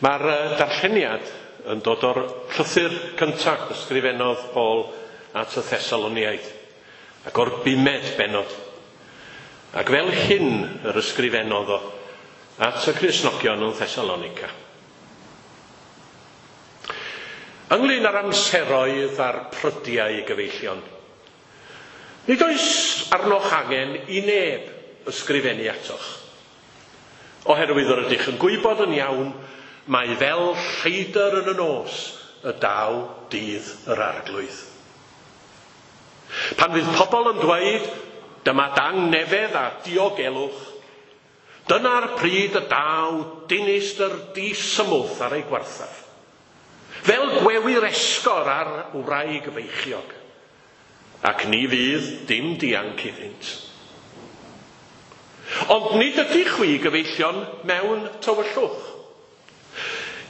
Mae'r darlleniad yn dod o'r llythyr cyntaf ysgrifennodd Paul at y Thessaloniaid, ac o'r bumed bennod. Ac fel hyn yr ysgrifennodd o at y Cristnogion yn Thessalonica. Ynglyn â'r amseroedd a'r prydiau gyfeillion, nid oes arnoch angen i neb ysgrifennu atoch, oherwydd yr ydych yn gwybod yn iawn mae fel lleidr yn y nos y daw dydd yr arglwydd. Pan fydd pobl yn dweud, dyma dangnefedd a diogelwch, dyna'r pryd y daw dinistr disymwth ar ei gwarthaf. Fel gwewyr esgor ar wraig feichiog, ac ni fydd dim dianc iddynt. Ond nid ydych chwi gyfeillion mewn tywyllwch.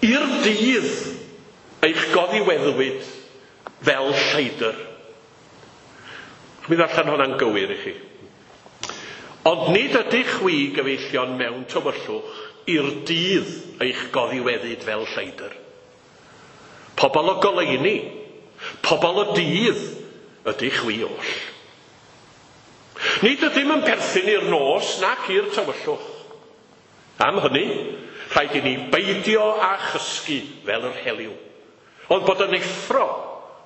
I'r dydd eich goddiweddwyd fel lleidr. Mi ddarllen hwnna'n gywir i chi. Ond nid ydych chwi gyfeillion mewn tywyllwch i'r dydd eich goddiweddyd fel lleidr. Pobl o goleuni, pobl o dydd ydych chwi oll. Nid ydym yn perthyn i'r nos nac i'r tywyllwch. Am hynny, rhaid i ni beidio â chysgu fel yr heliw, ond bod yn effro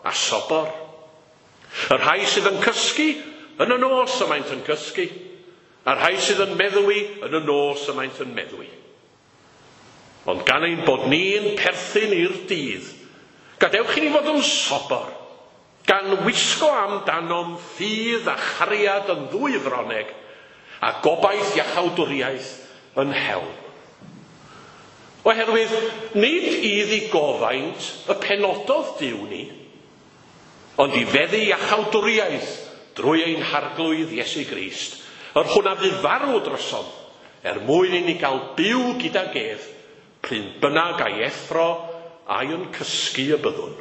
a sobor. Y rhai sydd yn cysgu yn y nos y maent yn cysgu, a'r rhai sydd yn meddwi yn y nos y maent yn meddwi. Ond gan ein bod ni'n perthyn i'r dydd, gadewch i ni fod yn sobor, gan wisgo amdanom ffydd a chariad yn ddwy froneg, a gobaith iachawdwriaeth yn helm. Oherwydd nid i ddigofaint y penododd Duw ni, ond i feddu iachawdwriaeth drwy ein harglwydd Iesu Grist, yr hwn a fu farw drosom, er mwyn i ni gael byw gydag ef, pryn bynnag a'i effro a'i yn cysgu y byddwn.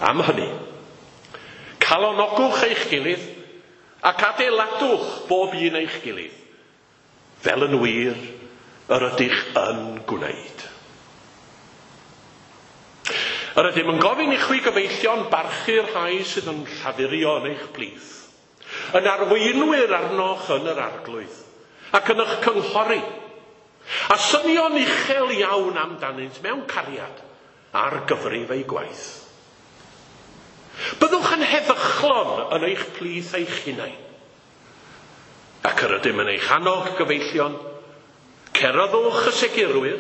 Am hynny, calonogwch eich gilydd ac adeiladwch bob un eich gilydd, fel yn wir yr ydych yn gwneud. Yr ydym yn gofyn i chwi gyfeillion barchu'r rhai sydd yn llafurio yn eich plith, yn arweinwyr arnoch yn yr arglwydd, ac yn eich cynghori, a synio'n uchel iawn amdanynt mewn cariad ar gyfrif eu gwaith. Byddwch yn heddychlon yn eich plith eich hunain, ac yr ydym yn eich annog gyfeillion, ceryddwch y segurwyr,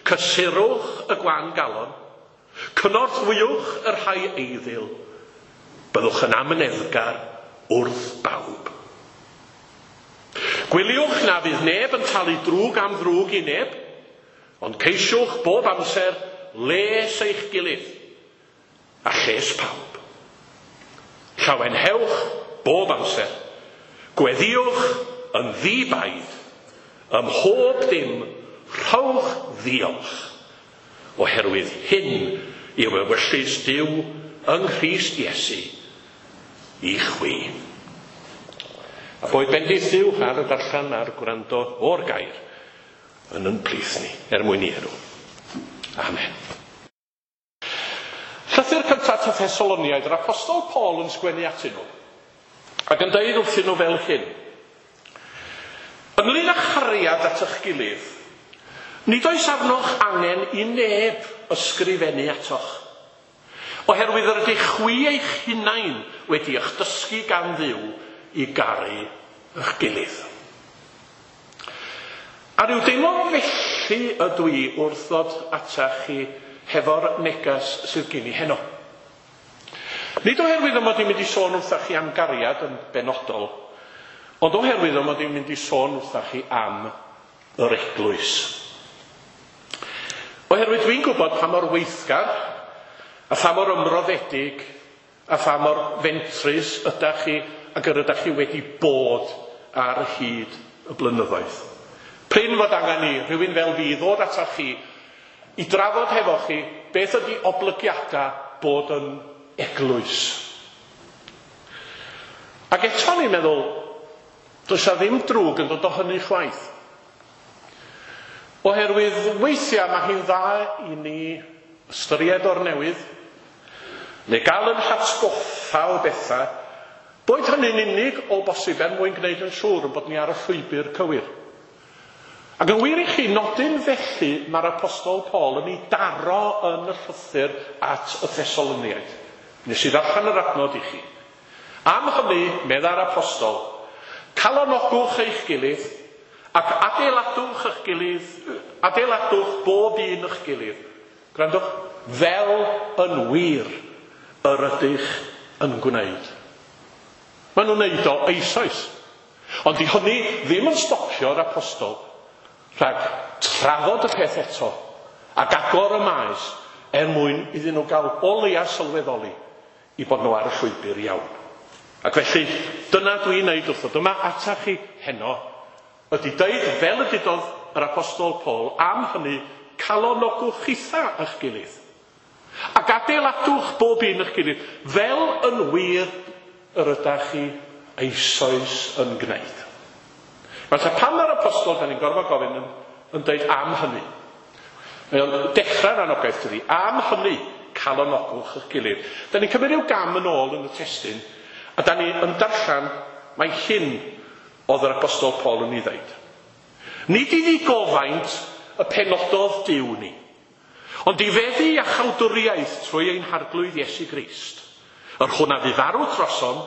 cysurwch y gwan galon, cynorthwywch y rhai eiddil, byddwch yn amyneddgar wrth bawb. Gwyliwch na fydd neb yn talu drwg am ddrwg i neb, ond ceisiwch bob amser les eich gilydd a lles pawb. Llawenhewch bob amser. Gweddïwch yn ddi-baid, ym mhob dim rhowch ddiolch, oherwydd hyn yw ewyllys Duw yng Nghrist Iesu i chwi. A boed bendith Duw ar y darllen a'r gwrando o'r gair yn yn plith ni, er mwyn i enw. Amen. Llythyr cyntaf at y Thessaloniaid, yr Apostol Paul yn sgwennu atyn nhw, ac yn deud wrthyn nhw fel hyn. Ynglyn â chariad at eich gilydd, nid oes arnoch angen i neb ysgrifennu atoch, oherwydd yr ydych chwi eich hunain wedi eich dysgu gan Dduw i garu eich gilydd. A rhyw deimlo felly ydw i wrth ddod atach chi hefo'r negas sydd gen i heno. Nid oherwydd y mod i'n mynd i sôn wrthach chi am gariad yn benodol, ond oherwydd y mod i'n mynd i sôn wrthach chi am yr eglwys. Oherwydd dwi'n gwybod pa mor weithgar a pha mor ymroddedig a pha mor fentrus ydach chi ac yr ydach chi wedi bod ar hyd y blynyddoedd. Prin fod angen i rhywun fel fi ddod atach chi i drafod hefo chi beth ydy oblygiadau bod yn eglwys. Ac eto ni'n meddwl, does 'na ddim drwg yn dod o hynny chwaith. Oherwydd weithiau mae hi'n dda i ni ystyried o'r newydd, neu gael yn hatgoffa o bethau, boed hynny'n unig o bosib er mwyn gwneud yn siŵr yn bod ni ar y llwybr cywir. Ac yn wir i chi, nodyn felly mae'r Apostol Paul yn ei daro yn y llythyr at y Thessaloniaid. Nes i ddarllen yr adnod i chi. Am hynny, medda'r Apostol, calonogwch eich gilydd ac adeiladwch eich gilydd, adeiladwch bob un eich gilydd. Gwrandwch, fel yn wir yr ydych yn gwneud. Maen nhw'n neud o eisoes. Ond di hynny ddim yn stopio'r apostol rhag trafod y peth eto ac agor y maes er mwyn iddyn nhw gael o leia sylweddoli i bod nhw ar y llwybr iawn. Ac felly, dyna dwi'n neud wrth ddod yma atach chi heno, ydy deud fel y dudodd yr Apostol Paul am hynny calonogwch chitha eich gilydd. Ac adeiladwch bob un eich gilydd fel yn wir yr ydach chi eisoes yn gwneud. Felly pan mae'r apostol, da ni'n gorfod gofyn yn, yn dweud am hynny. Mae o'n dechrau'r anogaeth dydi. Am hynny, calonogwch eich gilydd. Da ni'n cymryd rhyw gam yn ôl yn y testun, a da ni yn darllen mae hyn oedd yr apostol Paul yn ei ddeud. Nid i ddigofaint y penododd Duw ni, ond i feddu iachawdwriaeth trwy ein harglwydd Iesu Grist, yr hwn a fu farw trosom,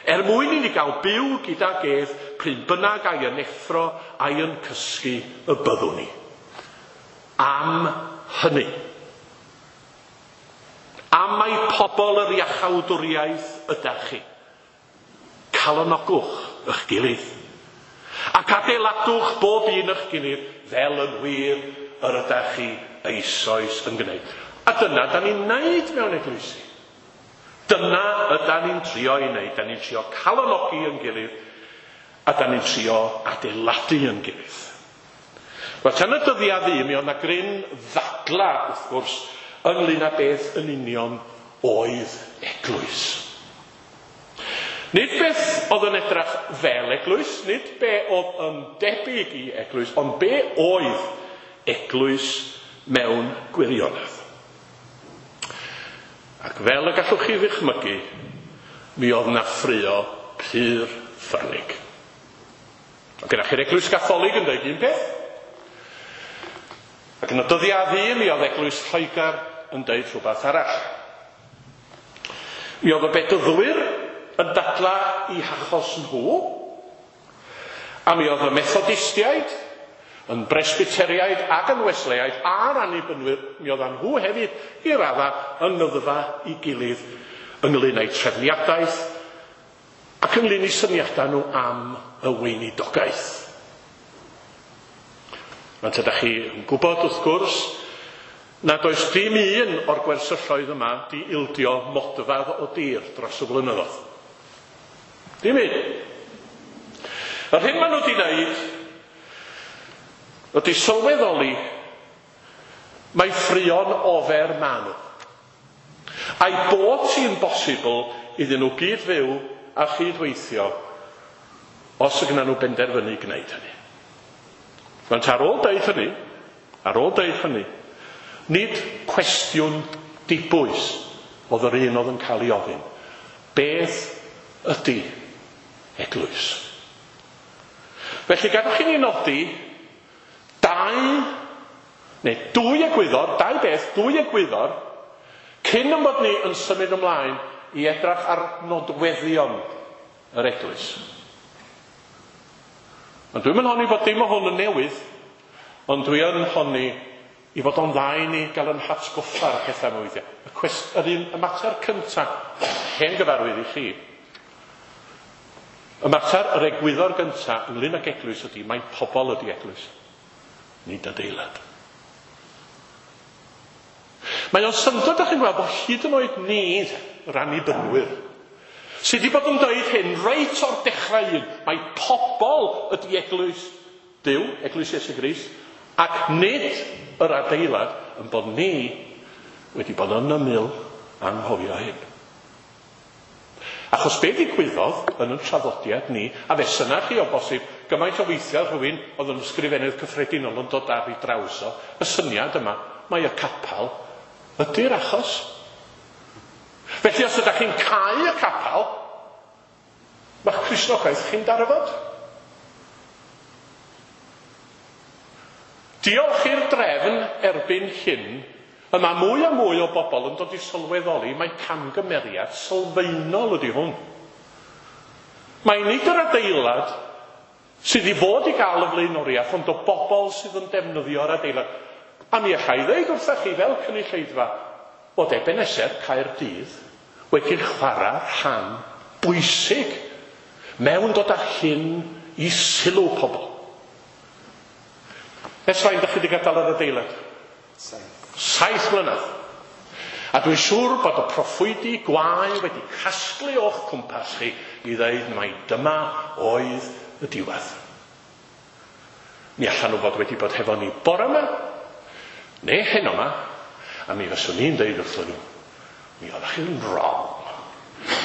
er mwyn i ni gael byw gydag ef pryd bynnag a'i yn effro a'i yn cysgu y byddwn ni. Am hynny. Am mai pobl yr iachawdwriaeth ydach chi. Calonogwch eich gilydd. Ac adeiladwch bob un eich gilydd fel yn wir yr ydach chi eisoes yn gwneud. A dyna da ni'n neud mewn eglwysi. Dyna ydan ni'n trio i wneud. Da ni'n trio calonogi yn gilydd a da ni'n trio adeiladu yn gilydd. Wel, tan y dyddiau ddu, mi oedd 'na gryn ddadla, wrth gwrs, ynglyn â beth yn union oedd eglwys. Nid beth oedd yn edrach fel eglwys, nid be oedd yn debyg i eglwys, ond be oedd eglwys mewn gwirionedd. Ac fel y gallwch chi ddychmygu, mi oedd 'na ffraeo pur ffyrnig. Oedd gennych chi'r Eglwys Gatholig yn dweud un peth, ac yn y dyddiau ddu mi oedd Eglwys Lloegr yn dweud rhywbeth arall. Mi oedd y Bedyddwyr yn dadla i hachos nhw, a mi oedd y Methodistiaid yn Bresbyteriaid ac yn Wesleyaid a'r Annibynwyr, mi oeddan nhw hefyd i radda yng ngyddfa i gilydd ynglyn â'u trefniadaeth ac ynglyn â'u syniadau nhw am y weinidogaeth. Rwan ta, dach chi yn gwybod wrth gwrs nad oes dim un o'r gwersylloedd yma di ildio modfedd o dir dros y blynyddoedd. Dim un. Yr hyn maen nhw wedi wneud ydy sylweddoli mai ffrio'n ofer maen nhw. A'i bod hi'n bosibl iddyn nhw gyd fyw a chyd-weithio os y gna nhw benderfynu gwneud hynny. Rwan ta, ar ôl deud hynny, ar ôl deud hynny, nid cwestiwn dibwys oedd yr un oedd yn cael ei ofyn. Beth ydy eglwys? Felly gadwch i ni nodi dau, neu dwy egwyddor, dau beth, dwy egwyddor, cyn yn bod ni yn symud ymlaen i edrach ar nodweddion yr eglwys. Ond dwi'm yn honni bod dim o hwn yn newydd, ond dwi yn honni i fod o'n dda i ni gael yn hatgoffa'r pethau yma weithiau. Y, cwest, yr un, y mater cyntaf, hen gyfarwydd i chi, y mater, yr egwyddor gyntaf ynglyn ag eglwys ydy, mae pobl ydy eglwys, nid adeilad. Mae o'n syndod, da chi'n gweld, bod hyd yn oed ni, yr annibynwyr, sydd wedi bod yn dweud hyn reit o'r dechrau un, mae pobl ydy eglwys Duw, eglwys Iesu Grist, ac nid yr adeilad, yn bod ni wedi bod yn ymyl anghofio hyn. Achos be ddigwyddodd yn y traddodiad ni, a fe syna chi o bosib gymaint o weithiau rhywun oedd yn ysgrifennydd cyffredinol yn dod ar ei draws o, y syniad yma, mae y capel ydy'r achos. Felly os ydych chi'n cau y capel, mae'ch Cristnogaeth chi'n darfod. Diolch i'r drefn erbyn hyn, y mae mwy a mwy o bobl yn dod i sylweddoli mai camgymeriad sylfaenol ydy hwn. Mae nid yr adeilad sydd i fod i gael y flaenoriaeth, ond o bobl sydd yn defnyddio'r adeilad. A mi allai ddeud wrthych chi fel cynulleidfa bod Ebenezer Caerdydd wedi chwarae rhan bwysig mewn dod â hyn i sylw pobl. Ers faint ydych chi wedi gadael yr adeilad? 7 mlynedd. A dwi'n siŵr bod y proffwydi gwae wedi casglu o'ch cwmpas chi i ddeud mai dyma oedd y diwedd. Mi allan nhw fod wedi bod hefo ni bore yma, neu heno yma, a mi fyswn i'n deud wrthyn nhw, mi oeddech chi'n wrong,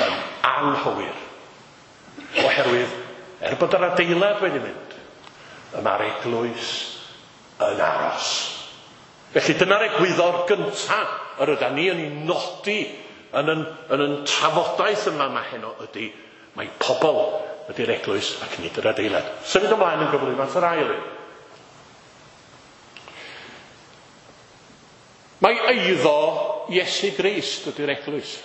yn anghywir. Oherwydd, er bod yr adeilad wedi mynd, y mae'r eglwys yn aros. Felly dyna'r egwyddor gyntaf yr yda ni yn ei nodi yn yn trafodaeth yma ma heno ydy, mae pobl ydy'r eglwys ac nid yr adeilad. Symud ymlaen yn gyflym at yr ail un. Mae eiddo Iesu Grist ydy'r eglwys.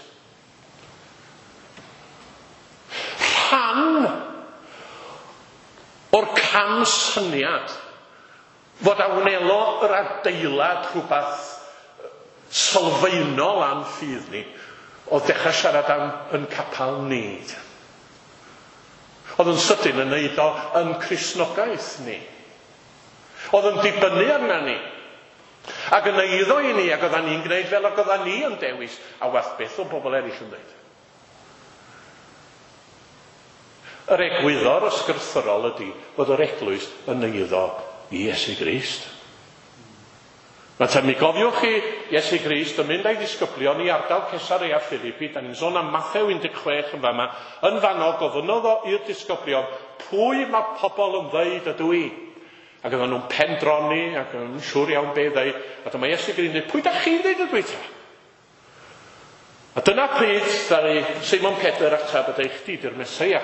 Rhan o'r camsyniad fod a wnelo yr adeilad rhywbeth sylfaenol am ffydd ni, oedd dechrau siarad am yn capel ni. Oedd yn sydyn yn neud o yn Cristnogaeth ni. Oedd yn dibynnu arna ni. Ac yn eiddo i ni, ac oeddan ni'n gwneud fel ac oeddan ni yn dewis, a wath beth o bobl eraill yn dweud. Yr egwyddor ysgrythurol ydy fod yr eglwys yn eiddo i Iesu Grist. Mae mi gofiwch chi Iesu Grist yn mynd â'i ddisgyblion i ardal Cesarea Philippi, da ni'n sôn am Mathew 16 yn fama, yn fanno gofynnodd o i'r disgyblion, pwy mae pobl yn ddeud ydw i? Ac oedden nhw'n pendroni ac yn siŵr iawn be ddeud, a dyma Iesu Grist yn dweud, pwy da chi'n ddeud ydw i ta? A dyna pryd ddaru Simon Pedr ateb a dweud, chdi di'r Meseia.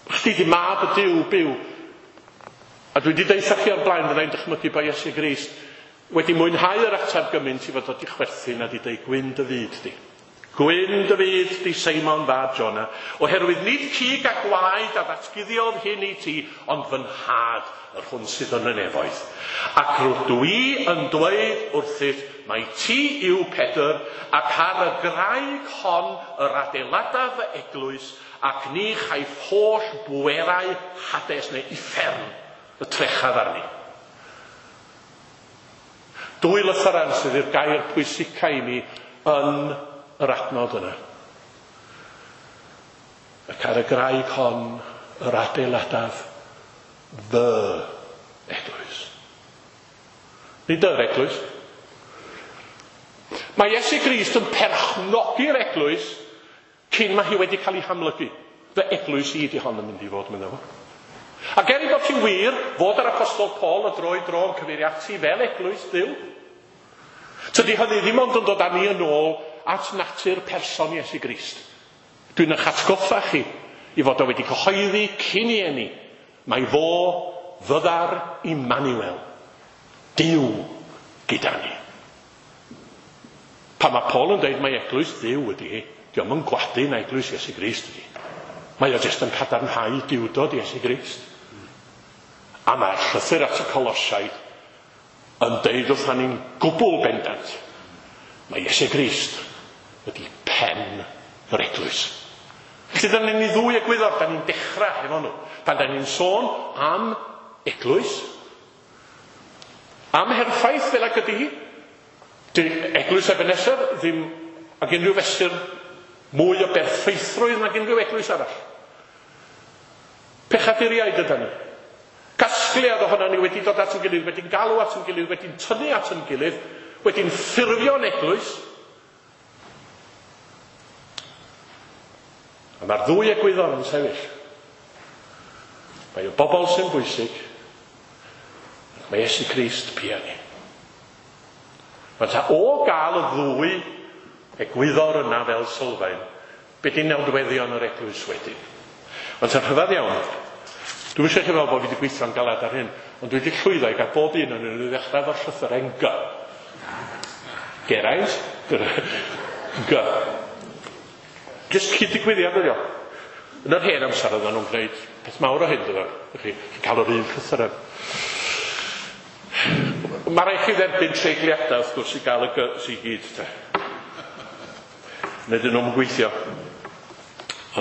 Chdi di mab y Duw byw. A dwi wedi deutha chi o'r blaen, fyddai'n dychmygu bod Iesu Grist wedi mwynhau yr ateb gymaint i fod wedi chwerthin a di deud, gwyn dy fyd di. Gwyn dy fyd di Seimon fab Jona, oherwydd nid cig a gwaed a ddatguddiodd hyn i ti, ond fy nhad yr hwn sydd yn y nefoedd. Ac rydw i yn dweud wrthyt, mai ti yw Pedr, ac ar y graig hon yr adeiladaf fy eglwys, ac ni chaiff holl bwerau Hades neu uffern y trechaf arni. Dwy lythyren sydd i'r gair pwysica i mi yn yr adnod yna. Ac ar y graig hon yr adeiladaf fy eglwys. Nid yr eglwys. Mae Iesu Grist yn perchnogi'r eglwys cyn mae hi wedi cael ei hamlygu. Fy eglwys i di hon yn mynd i fod, meddai fo. Ac er ei bod hi'n wir fod yr Apostol Paul o dro i dro yn cyfeirio ati fel eglwys Dduw, tydi hynny ddim ond yn dod â ni yn ôl at natur person Iesu Grist. Dwi'n eich atgoffa chi i fod o wedi cyhoeddi cyn i eni, mai fo fyddar Immanuel, Duw gyda ni. Pan mae Paul yn dweud mai eglwys Dduw ydy hi, dio'm yn gwadu na eglwys Iesu Grist ydy. Mae o jyst yn cadarnhau duwdod Iesu Grist. A mae'r llythyr at y Colosiaid yn deud wrtha ni'n gwbl bendant, mae Iesu Grist ydy pen yr eglwys. Felly dyna ni ddwy egwyddor, da ni'n dechrau hefo nhw. Pan da ni'n sôn am eglwys, am herffaith fel ag ydy hi, di eglwys Ebenezer ddim ag unrhyw fesur mwy o berffeithrwydd nag unrhyw eglwys arall. Pechaduriaid yda ni. Casgliad ohono ni wedi dod at yn gilydd, wedi'n galw at yn gilydd, wedi'n tynnu at yn gilydd, wedi'n ffurfio'n eglwys. A mae'r ddwy egwyddor yn sefyll. Mae y bobl sy'n bwysig, ac mae Iesu Grist pia ni. Mae ta o gael y ddwy egwyddor yna fel sylfaen, be di nodweddion yr eglwys wedyn? Mae'n ta rhyfedd iawn. Dwi'm eisiau chi feddwl bod fi wedi gweithio'n galed ar hyn, ond dwi wedi llwyddo i gael bob un o'n nhw i ddechrau efo'r llythyren G. Geraint, G. Jyst cyd-digwyddiad ydi o. Yn yr hen amser oedden nhw'n gwneud peth mawr o hyn, dydyn. Chi, chi'n cael yr un llythyren. Mae rhaid chi dderbyn treigliadau, wrth gwrs, i gael y G i gyd, te. Neu dyn nhw'n gweithio.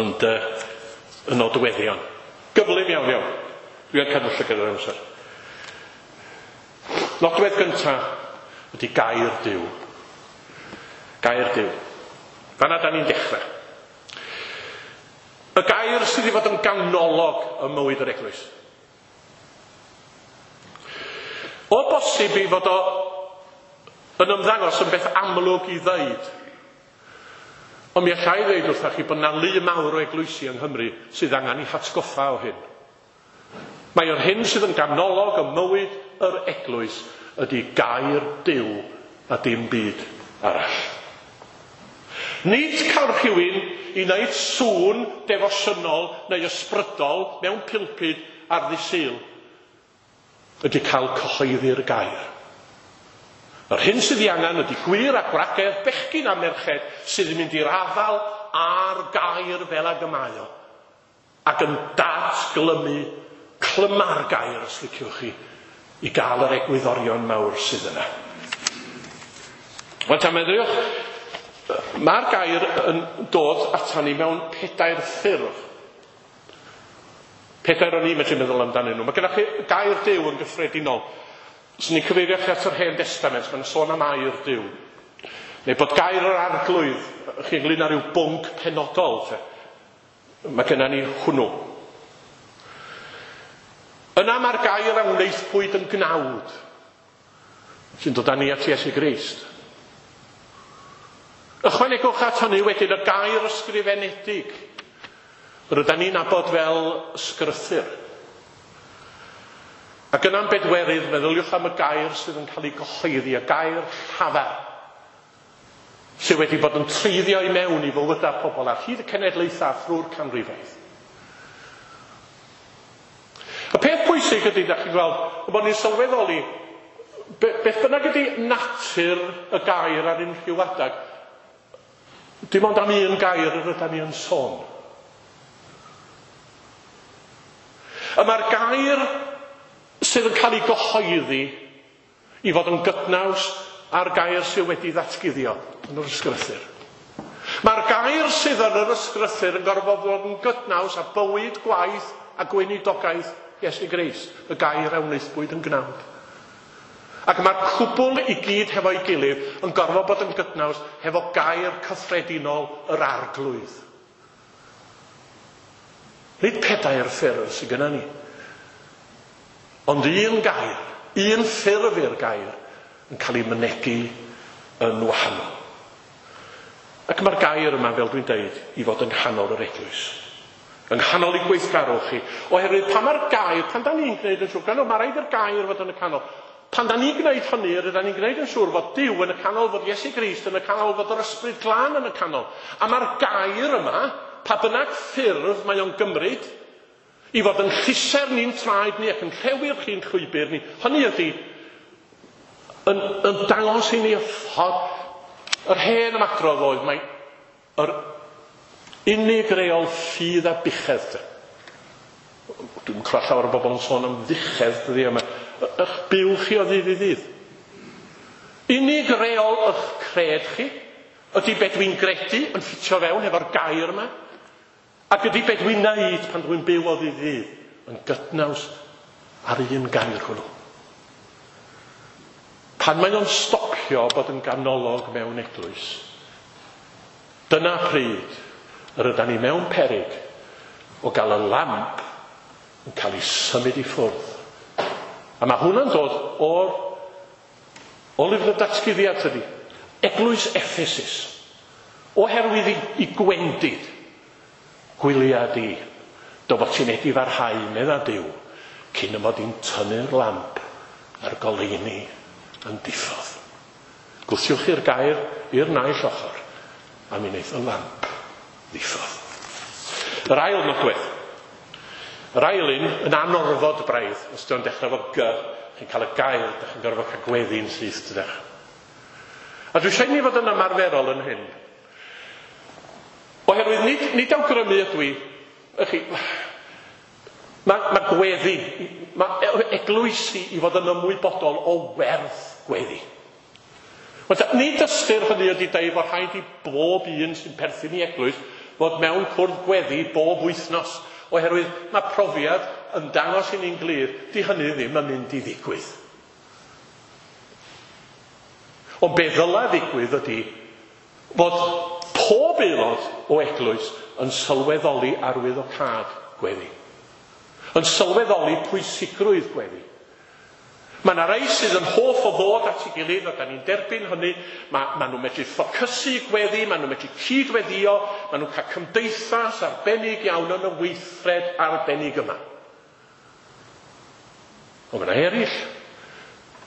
Ond y nodweddion. Gyflym iawn, iawn. Dwi yn cadw llygad ar amser. Nodwedd gyntaf ydy gair Duw. Gair Duw. Fanna da ni'n dechrau. Y gair sydd i fod yn ganolog ym mywyd yr eglwys. O bosib i fod o yn ymddangos yn beth amlwg i ddeud. Ond mi allai ddeud wrthach chi bod 'na lu mawr o eglwysi yng Nghymru sydd angen eu hatgoffa o hyn. Mae yr hyn sydd yn ganolog ym mywyd yr eglwys ydy gair Duw a dim byd arall. Nid cael rhywun i wneud sŵn defosiynol neu ysbrydol mewn pulpud ar ddydd Sul ydy cael cyhoeddi'r gair. Yr hyn sydd ei angen ydy gwŷr a gwragedd, bechgyn a merched sydd yn mynd i'r afael â'r gair fel ag y mae o, ac yn datglymu clyma'r gair, os liciwch chi, i gael yr egwyddorion mawr sydd yna. Wel, ta meddyliwch, mae'r gair yn dod atan ni mewn pedair ffurf. Pedair o'n i'n medru meddwl amdanyn nhw. Mae gennych chi gair Duw yn gyffredinol. Os ni'n cyfeirio chi at yr Hen Destament, mae'n sôn am air Duw. Neu bod gair yr Arglwydd, chi ynglyn â rhyw bwnc penodol. Te. Mae gennym ni hwnnw. Yna mae'r gair a wnaethpwyd yn gnawd, sy'n dod â ni at Iesu Grist. Ychwanegwch at hynny wedyn y gair ysgrifenedig, rydyn ni'n nabod fel ysgrythur. Ac yna'n bedwerydd, meddyliwch am y gair sydd yn cael ei gyhoeddi, y gair llafar, sydd wedi bod yn treiddio i mewn i fywydau pobl ar hyd y cenedlaethau thrwy'r canrifoedd. Y peth pwysig ydy, da chi'n gweld, bod ni'n sylweddoli, beth bynnag ydy natur y gair ar unrhyw adeg, dim ond am un gair yr ydyn ni yn sôn. Y mae'r gair sydd yn cael ei gyhoeddi i fod yn gydnaws â'r gair sydd wedi ddatguddio yn yr ysgrythur. Mae'r gair sydd yn yr ysgrythur yn gorfod bod yn gydnaws â bywyd, gwaith a gweinidogaeth Iesu Grist, y gair a wnaethpwyd yn gnawd. Ac mae'r cwbl i gyd hefo'i gilydd yn gorfod bod yn gydnaws hefo gair cyffredinol yr Arglwydd. Nid pedair ffurf sydd gennym ni, ond un gair, un ffurf i'r gair yn cael ei mynegi yn wahanol. Ac mae'r gair yma, fel dwi'n deud, i fod yng nghanol yr eglwys. Yng nghanol ei gweithgarwch chi. Oherwydd pan mae'r gair, pan da ni'n gwneud yn siŵr, gwrandwch, mae rhaid i'r gair fod yn y canol. Pan da ni'n gwneud hynny, rydyn ni'n gwneud yn siŵr fod Duw yn y canol, fod Iesu Grist yn y canol, fod yr Ysbryd Glân yn y canol. A mae'r gair yma, pa bynnag ffurf mae o'n gymryd, i fod yn llusern ni'n traed ni ac yn llewi'r chi'n llwybr ni, hynny ydy, yn dangos i ni y ffordd. Yr hen ymadrodd oedd, mae yr unig reol ffydd a buchedd. Dwi'n clywed llawer o bobl yn sôn am fuchedd dyddiau yma. Ych byw chi o ddydd i ddydd. Unig reol ych cred chi ydy be dwi'n gredu yn ffitio fewn efo'r gair yma, ac ydy be dwi'n neud pan dwi'n byw o ddydd i ddydd yn gydnaws ar un gair hwnnw. Pan mae o'n stopio bod yn ganolog mewn eglwys, dyna pryd yr ydan ni mewn peryg o gael y lamp yn cael ei symud i ffwrdd. A mae hwnna'n dod o'r o lyfr y datguddiad tydi. Eglwys Ephesus. Oherwydd i gwendid, gwylia di. Dy fod ti'n edifarhau, medda Duw, cyn y mod i'n tynnu'r lamp a'r goleuni yn diffodd. Gwthiwch chi'r gair i'r naill ochr, a mi wneith y lamp ddiffodd. Yr ail nodwedd. Yr ail un yn anorfod braidd, os dio'n dechrau efo G, chi'n cael y gair, da chi'n gorfod cael gweddi'n syth, dydych. A dwi eisiau i ni fod yn ymarferol yn hyn. Oherwydd nid, nid awgrymu ydw i, chi, mae, mae gweddi, mae eglwysi i fod yn ymwybodol o werth gweddi. Wel, nid ystyr hynny ydy deud fod rhaid i bob un sy'n perthyn i eglwys fod mewn cwrdd gweddi bob wythnos, oherwydd mae profiad yn dangos i ni'n glir, di hynny ddim yn mynd i ddigwydd. Ond be ddyla ddigwydd ydy fod pob aelod o eglwys yn sylweddoli arwyddocâd gweddi. Yn sylweddoli pwysigrwydd gweddi. Mae yna rai sydd yn hoff o ddod at ei gilydd, a da ni'n derbyn hynny. Mae, ma nhw'n medru ffocysu gweddi, mae nhw'n medru cydweddio, mae nhw'n cael cymdeithas arbennig iawn yn y weithred arbennig yma. Ond mae yna eraill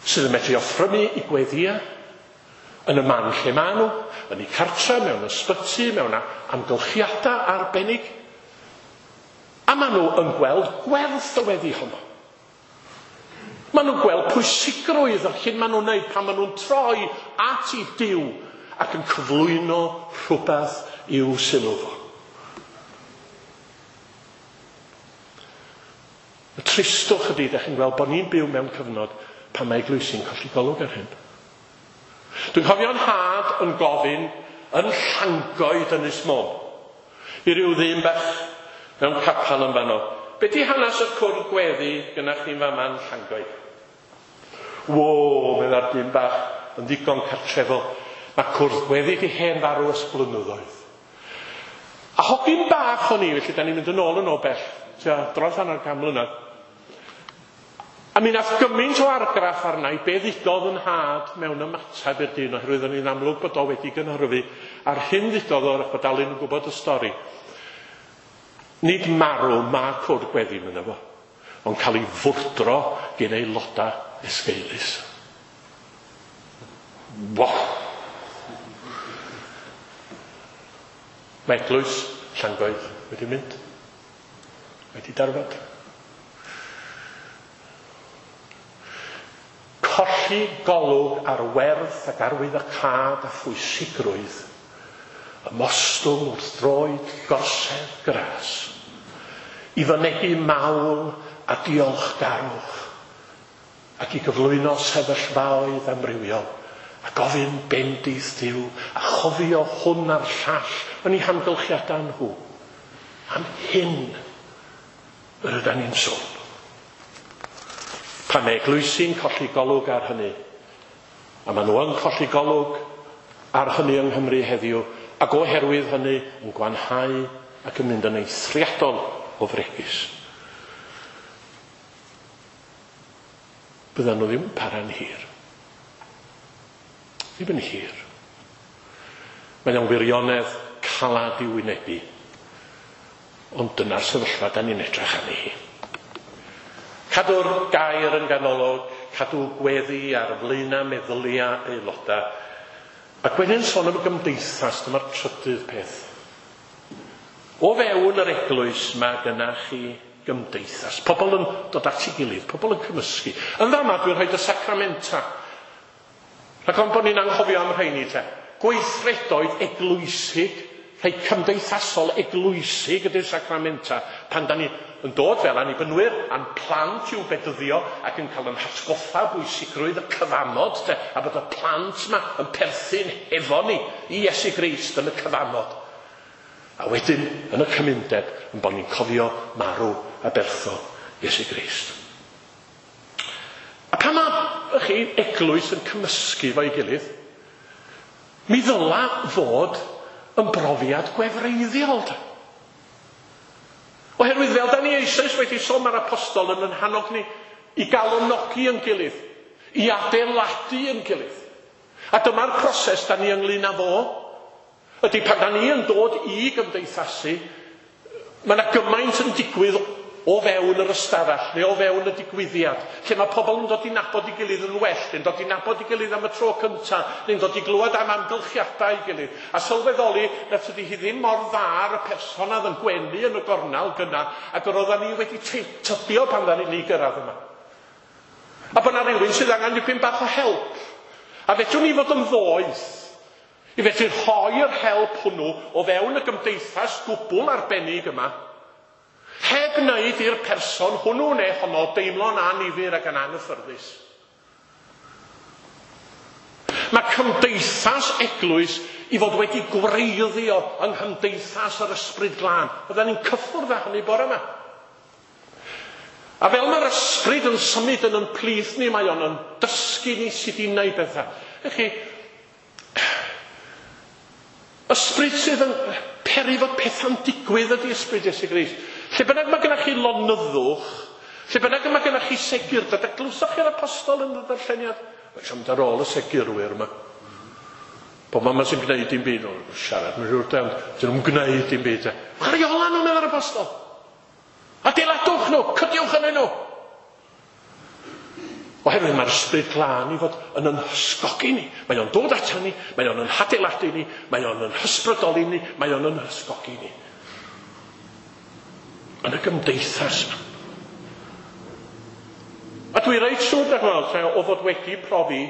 sydd yn medru offrymu i gweddia yn y man lle maen nhw, yn eu cartra, mewn ysbyty, mewn amgylchiadau arbennig. A maen nhw yn gweld gwerth y weddi honno. Maen nhw'n gweld pwysigrwydd yr hyn maen nhw'n wneud pan maen nhw'n troi at i Duw ac yn cyflwyno rhywbeth i'w sylw fo. Y tristwch ydy, ydych chi'n gweld bod ni'n byw mewn cyfnod pan mae eglwysi'n colli golwg ar hyn. Dwi'n cofio'n nhad yn gofyn yn Llangoed Ynys Môn i ryw ddyn bach mewn capel yn fanno. Be di hanes y cwrdd gweddi gyda chi'n fama yn Llangoed? Wo, medda'r dyn bach yn ddigon cartrefol. Mae cwrdd gweddi di hen farw ers blynyddoedd. A hogyn bach o'n i, felly da ni'n mynd yn ôl yn o bell, tua dros hanner can mlynedd. A mi nath gymaint o argraff arna i be ddudodd yn nhad mewn ymateb i'r dyn, oherwydd o'n i'n amlwg bod o wedi gynhyrfu, a'r hyn ddudodd o, bod Alun yn gwybod y stori. Nid marw ma cwrdd gweddi mynd efo, ond cael ei fwrdro gen aelodau esgeulus. Wow! Mae eglwys Llangoed wedi mynd. Wedi darfod. Colli golwg ar werth ac arwyddocâd a phwysigrwydd ymostwng wrth droed gorsedd gras i fynegi mawl a diolchgarwch ac i gyflwyno sefyllfaoedd amrywiol a gofyn bendith Duw a chofio hwn a'r llall yn eu hamgylchiadau nhw. Am hyn yr ydan ni'n sôn. Pan mae eglwysi'n colli golwg ar hynny, a maen nhw yn colli golwg ar hynny yng Nghymru heddiw, ac oherwydd hynny yn gwanhau ac yn mynd yn eithriadol o fregus. Byddan nhw ddim yn para'n hir. Ddim yn hir. Mae o'n wirionedd calad i wynebu. Ond dyna'r sefyllfa da ni'n edrych arni hi. Cadw'r gair yn ganolog, cadw gweddi ar flaenau meddyliau aelodau. Ac wedyn sôn am y gymdeithas, dyma'r trydydd peth. O fewn yr eglwys mae gyna chi gymdeithas. Pobl yn dod at ei gilydd, pobl yn cymysgu. Yn fama dwi'n rhoi y sacramenta. Rhag ofn bod ni'n anghofio am rheini te. Gweithredoedd eglwysig, rhai cymdeithasol eglwysig ydy'r sacramenta. Pan da ni yn dod fel annibynwyr a'n plant i'w bedyddio ac yn cael yn hatgoffa bwysigrwydd y cyfamod te, a bod y plant yma yn perthyn hefo ni i Iesu Grist yn y cyfamod. A wedyn, yn y cymundeb, yn bod ni'n cofio marw a bertho Iesu Grist. A pan mae chi eglwys yn cymysgu fo'i gilydd, mi ddyla fod yn brofiad gwefreiddiol. Oherwydd fel da ni eisoes wedi sôn, mae'r apostol yn hannog ni i galonogi yn gilydd, i adeiladu yn gilydd. A dyma'r proses da ni ynglyn â fo. Ydy pan da ni yn dod i gymdeithasu, Mae yna gymaint yn digwydd o fewn yr ystafell neu o fewn y digwyddiad, lle mae pobl yn dod i nabod ei gilydd yn well, neu'n dod i nabod ei gilydd am y tro cyntaf, neu'n dod i glywed am amgylchiadau ei gilydd, a sylweddoli na tydi hi ddim mor dda ar y person oedd yn gwenu yn y gornel gynna, ac yr oeddan ni wedi tybio pan ddaru ni gyrraedd yma. A bod yna rhywun sydd angen dipyn bach o help. A fedrwn ni fod yn ddoeth i fedru rhoi'r help hwnnw o fewn y gymdeithas gwbl arbennig yma, heb wneud i'r person hwnnw neu honno deimlo'n annifyr ac yn anghyffyrddus. Mae cymdeithas eglwys i fod wedi gwreiddio yng nghymdeithas yr Ysbryd Glân. Fyddan ni'n cyffwrdd â hynny bore yma. A fel mae'r ysbryd yn symud yn yn plith ni, mae o'n yn dysgu ni sut i wneud pethau. Ych chi, ysbryd sydd yn peri fod pethau'n digwydd ydy ysbryd Iesu Grist. Lle bynnag mae gennych chi lonyddwch, lle bynnag mae gennych chi segurdod, a glywsoch chi'r apostol yn y ddarlleniad? Mae eisiau mynd ar ôl y segurwyr yma. Pobl yma sy'n gwneud dim byd, nhw'n siarad, mae'n siŵr, ond dyn nhw'n gwneud dim byd. Chwaraeola nhw, meddai'r apostol. Adeiladwch nhw, cydiwch ynddyn nhw. Oherwydd mae'r Ysbryd Glân i fod yn yn hysgogi ni. Mae o'n dod ato ni, mae o'n yn hadeiladu ni, mae o'n yn hysbrydoli ni, mae o'n yn hysgogi ni. Yn y gymdeithas yma. A dwi reit siŵr, da chi'n o fod wedi profi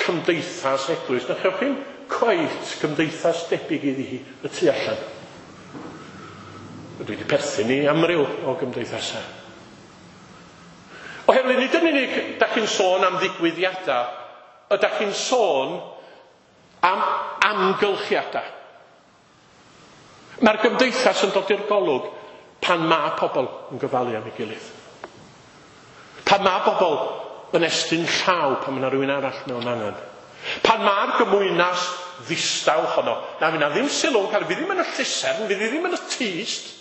cymdeithas eglwys, na chewch chi'n cweit cymdeithas debyg iddi hi y tu allan. Dwi wedi perthyn i amryw o gymdeithasau. Oherwydd nid yn unig da chi'n sôn am ddigwyddiadau, ydych chi'n sôn am amgylchiadau. Mae'r gymdeithas yn dod i'r golwg pan mae pobl yn gofalu am ei gilydd. Pan mae pobl yn estyn llaw pan mae yna rhywun arall mewn angen. Pan mae'r gymwynas ddistaw honno, na fydd na ddim sylw yn cael, fydd ddim yn y llusern, fydd ddim yn y tyst.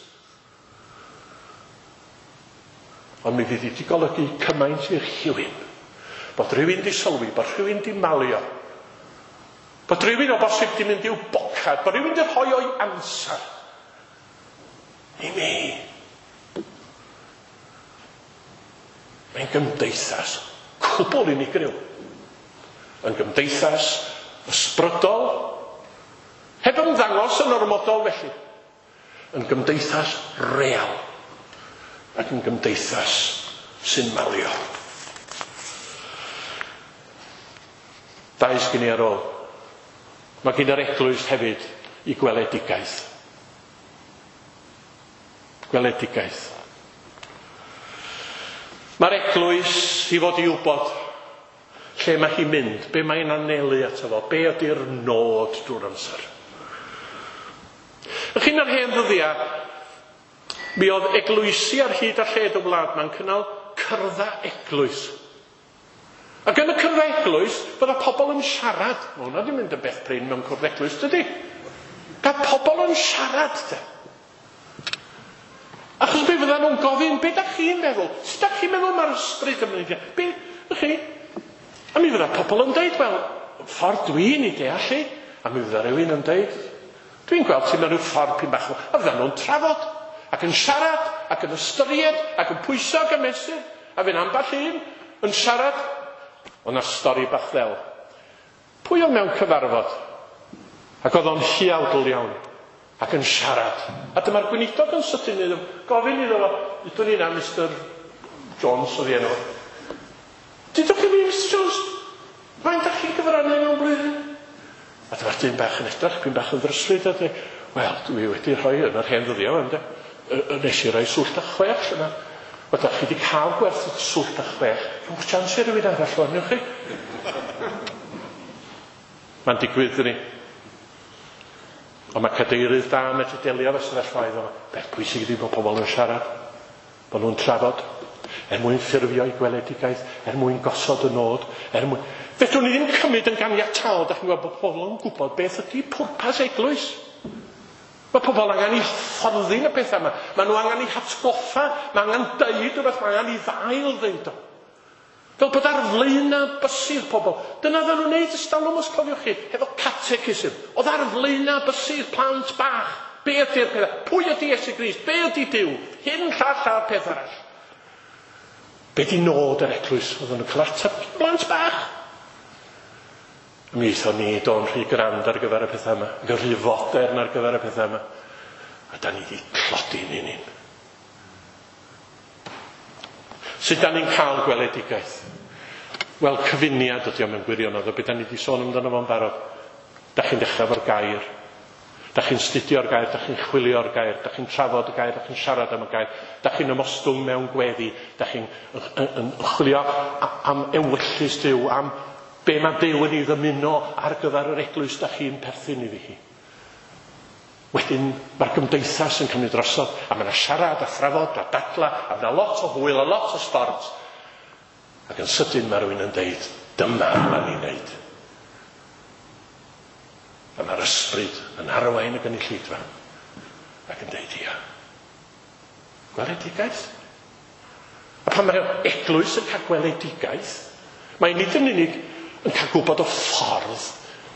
Ond mi fydd wedi golygu cymaint i'r rhywun. Bod rhywun di sylwi, bod rhywun di malio. Bod rhywun o bosib di mynd i'w bocad, bod rhywun di rhoi o'i amser. I mi. Mae'n gymdeithas cwbl unigryw. Yn gymdeithas ysbrydol, heb ymddangos yn ormodol felly. Yn gymdeithas real ac yn gymdeithas sy'n malio. Dau sgyn i ar ôl. Mae gen yr eglwys hefyd i gweledigaeth. Gweledigaeth. Mae'r eglwys i fod i wybod lle mae hi'n mynd, be mae'n anelu ato fo, be ydy'r nod drwy'r amser. Ych chi'n yr hen ddyddiau, mi oedd eglwysi ar hyd a lled y wlad ma'n cynnal cyrddau eglwys. Ac yn y cyrddau eglwys, bydda pobl yn siarad. Mae hwnna wedi mynd yn beth prin mewn cwrdd eglwys, dydy? Gael pobl yn siarad, de. Achos be fydda nhw'n gofyn, be da chi'n meddwl? Sut da chi'n meddwl mae'r ysbryd yn mynd? Be, chi? A mi fydda pobl yn deud, wel, ffordd dwi'n ei deall i. A mi fydda rhywun yn deud, dwi'n gweld ti mewn rhyw ffordd pyn bach. A fydda nhw'n trafod, ac yn siarad, ac yn ystyried, ac yn pwyso ac yn mesur. A fy'n ambell un yn siarad. Ond na stori bach ddel. Pwy oedd mewn cyfarfod? Ac oedd o'n huawdl iawn. Ac yn siarad. A dyma'r gweinidog yn sydyn iddo, gofyn iddo fo, ydwn ni na Mr Jones oedd ei enw. Dudwch chi fi, Mr Jones, faint dach chi'n gyfrannu mewn blwyddyn? A dyma'r dyn bach yn edrych, pyn bach yn ddryslyd, a dweud, wel, dwi wedi rhoi yn yr hen ddyddiau, ynde? Nes i roi swllt a chwech yna. Wel, dach chi wedi cael gwerth swllt a chwech. Rhowch chance i rywun arall o'n chi. Mae'n digwydd, dyni. Ond mae cadeirydd da yn medru delio efo sefyllfaoedd yma. Beth pwysig ydy bod pobl yn siarad, bod nhw'n trafod, er mwyn ffurfio eu gweledigaeth, er mwyn gosod y nod, er mwyn... Fedrwn ni ddim cymryd yn ganiataol, da chi'n gweld bod pobl yn gwybod beth ydy pwrpas eglwys. Mae pobl angen i hyfforddi yn y pethau yma. Mae nhw angen i hatgoffa, mae angen deud rhywbeth, mae angen i ddail ddeud o. Fel bod ar flaenau bysydd pobl. Dyna dda nhw'n neud ystalwm os cofiwch chi, hefo catechism. Oedd ar flaenau bysydd plant bach. Be ydy'r pethau? Pwy ydy Iesu Grist? Be ydy Duw? Hyn, llall a'r peth arall. Be di nod yr eglwys? Oedden nhw'n cael ateb blant bach. Mi aethon ni do'n rhy grand ar gyfer y pethau yma, ac yn rhy fodern ar gyfer y pethau yma. A da ni wedi tlodi ni'n un. Sut da ni'n cael gweledigaeth? Wel, cyfuniad ydy o mewn gwirionedd o beth da ni wedi sôn amdano fo'n barod. Da chi'n dechrau efo'r gair. Da chi'n studio'r gair, da chi'n chwilio'r gair, da chi'n trafod y gair, da chi'n siarad am y gair, da chi'n ymostwng mewn gweddi, da chi'n yn chwilio am ewyllys Duw, am be mae Duw yn ei ddymuno ar gyfer yr eglwys da chi'n perthyn iddi hi. Wedyn mae'r gymdeithas yn cymryd drosodd, a mae yna siarad a thrafod a dadla, a mae yna lot o hwyl a lot o sbort. Ac yn sydyn mae rhywun yn deud, dyma ddyla ni'n neud. A mae'r ysbryd yn arwain y gynulleidfa ac yn deud ia. Gweledigaeth. A pan mae'r eglwys yn cael gweledigaeth, mae nid yn unig yn cael gwybod o ffordd,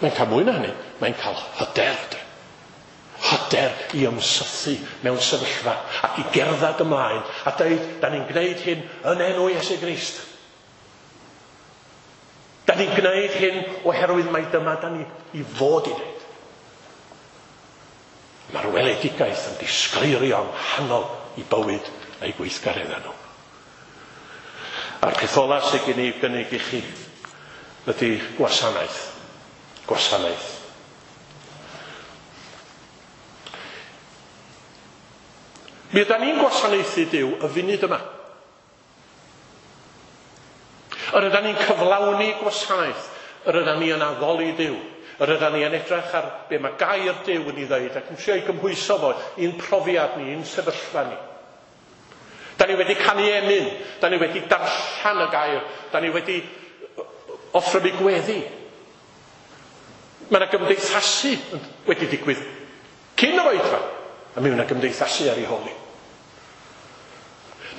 mae'n cael mwy na hynny, mae'n cael hyder. De. Hyder i ymsythu mewn sefyllfa ac i gerdded ymlaen a dweud, da ni'n gwneud hyn yn enw Iesu Grist. Da ni'n gwneud hyn oherwydd mai dyma da ni i fod i wneud. Mae'r weledigaeth yn disgleirio yng nghanol i bywyd a'i gweithgareddau nhw. A'r peth ola sydd gen i gynnig i chi ydy gwasanaeth. Gwasanaeth. Mi ydan ni'n gwasanaethu Duw y funud yma. Yr ydan ni'n cyflawni gwasanaeth, yr ydan ni yn addoli Duw, yr ydan ni yn edrych ar be mae gair Duw yn ei ddeud ac yn trio ei gymhwyso fo i'n profiad ni, i'n sefyllfa ni. Da ni wedi canu emyn, da ni wedi darllen y gair, da ni wedi offrymu gweddi. Mae yna gymdeithasu wedi digwydd cyn yr oedfa, a mi yna gymdeithasu ar ei hôl hi.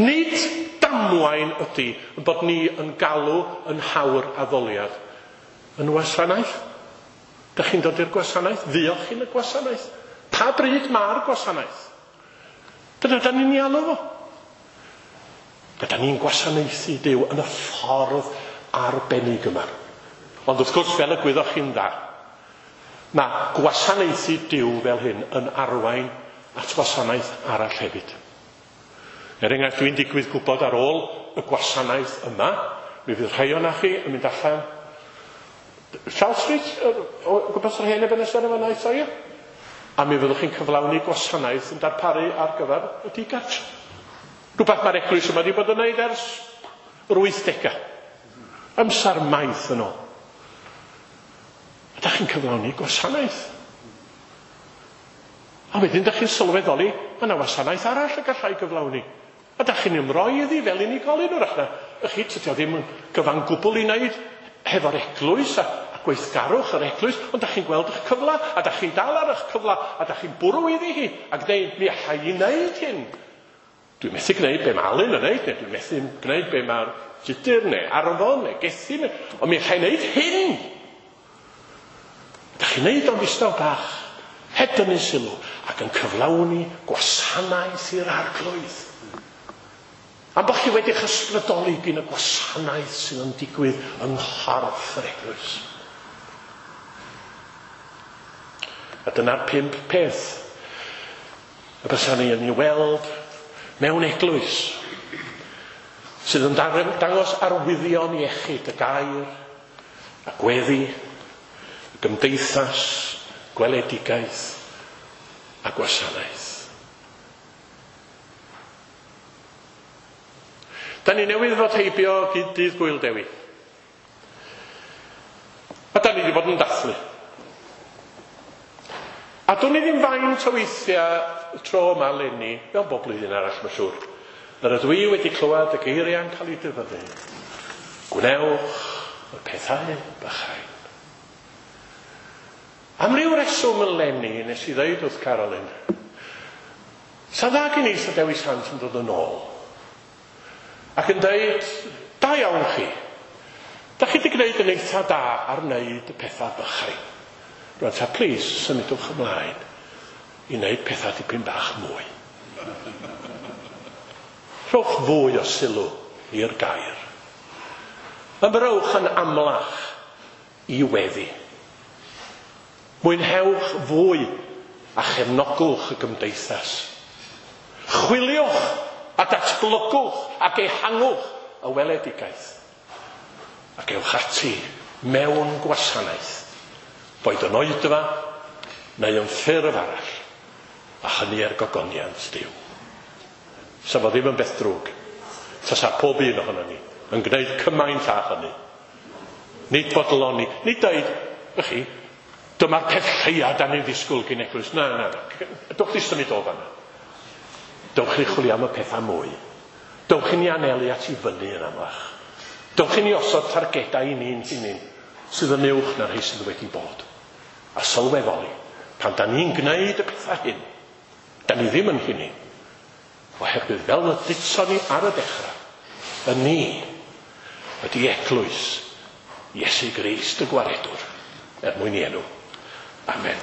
Nid damwain ydy yn bod ni yn galw yn hawr addoliad yn wasanaeth. Da chi'n dod i'r gwasanaeth? Fuoch chi'n y gwasanaeth? Pa bryd mae'r gwasanaeth? Dyna da ni'n ei alw fo. Da ni'n gwasanaethu Duw yn y ffordd arbennig yma. Ond wrth gwrs, fel y gwyddoch chi'n dda, mae gwasanaethu Duw fel hyn yn arwain at wasanaeth arall hefyd. Er enghraifft, dwi'n digwydd gwybod ar ôl y gwasanaeth yma, mi fydd rhai o'na chi yn mynd allan Charles Street, o gwmpas yr hen Ebenezer yma naeth o, ie? A mi fyddwch chi'n cyflawni gwasanaeth yn darparu ar gyfer y digartre. Rhywbeth mae'r eglwys yma wedi bod yn wneud ers yr 80au. Amser maith yn ôl. A da chi'n cyflawni gwasanaeth. A wedyn da chi'n sylweddoli, mae yna wasanaeth arall y gallai gyflawni. A da chi'n ymroi iddi fel unigolyn wrach na. Chi, tydi o ddim yn gyfan gwbl i wneud hefo'r eglwys a gweithgarwch yr eglwys, ond da chi'n gweld eich cyfla, a da chi'n dal ar eich cyfla, a da chi'n bwrw iddi hi, ac dweud, mi allai i wneud hyn. Dwi'n methu gwneud be mae Alun yn wneud, neu dwi'n methu gwneud be mae'r Tudur, neu Arfon, neu Gethin, ond mi allai wneud hyn. Da chi'n wneud o'n ddistaw bach, heb dynnu sylw, ac yn cyflawni gwasanaeth i'r arglwydd. Am bod chi wedi'ch ysbrydoli gyn y gwasanaeth sydd yn digwydd yng nghorff yr eglwys. A dyna'r 5 peth y bysa ni yn ei weld mewn eglwys sydd yn dangos arwyddion iechyd, y gair, y gweddi, y gymdeithas, gweledigaeth a gwasanaeth. Da ni newydd fod heibio dydd Gŵyl Dewi. A da ni wedi bod yn dathlu. A dwn i ddim faint o weithiau tro yma eleni, fel bob blwyddyn arall mae'n siŵr, yr ydw i wedi clywed y geiriau'n cael eu dyfynnu. Gwnewch y pethau bychain. Am ryw reswm eleni, nes i ddeud wrth Carolyn, sa dda gen i sa Dewi Sant yn dod yn ôl. Ac yn dweud, da iawn chi. Da chi wedi gwneud yn eitha da ar wneud y pethau bychain. Rwan ta, plis, symudwch ymlaen. i wneud pethau dipyn bach mwy. Rhowch fwy o sylw i'r gair. Ymrowch yn amlach i weddi. Mwynhewch fwy a chefnogwch y gymdeithas. Chwiliwch a datblygwch ac ehangwch y weledigaeth. Ac ewch ati mewn gwasanaeth, boed yn oedfa neu yn ffurf arall, a hynny er gogoniant Duw. Sa fo ddim yn beth drwg, tasa pob un ohonon ni yn gwneud cymaint â hynny. Nid bodloni, nid dweud, ych chi, dyma'r peth lleia da ni'n ddisgwyl gyn eglwys. Na, na, na. Dewch chi symud o fanna. Dewch chi chwilio am y pethau mwy. Dewch i ni anelu at i fyny yn amlach. Dewch i ni osod targedau i ni'n hunain sydd yn uwch na'r rhai sydd wedi bod. A sylweddoli, pan da ni'n gwneud y pethau hyn, da ni ddim yn hynny. Oherwydd fel y dudson ni ar y dechrau, y ni ydy eglwys Iesu Grist y Gwaredwr, er mwyn i enw. Amen.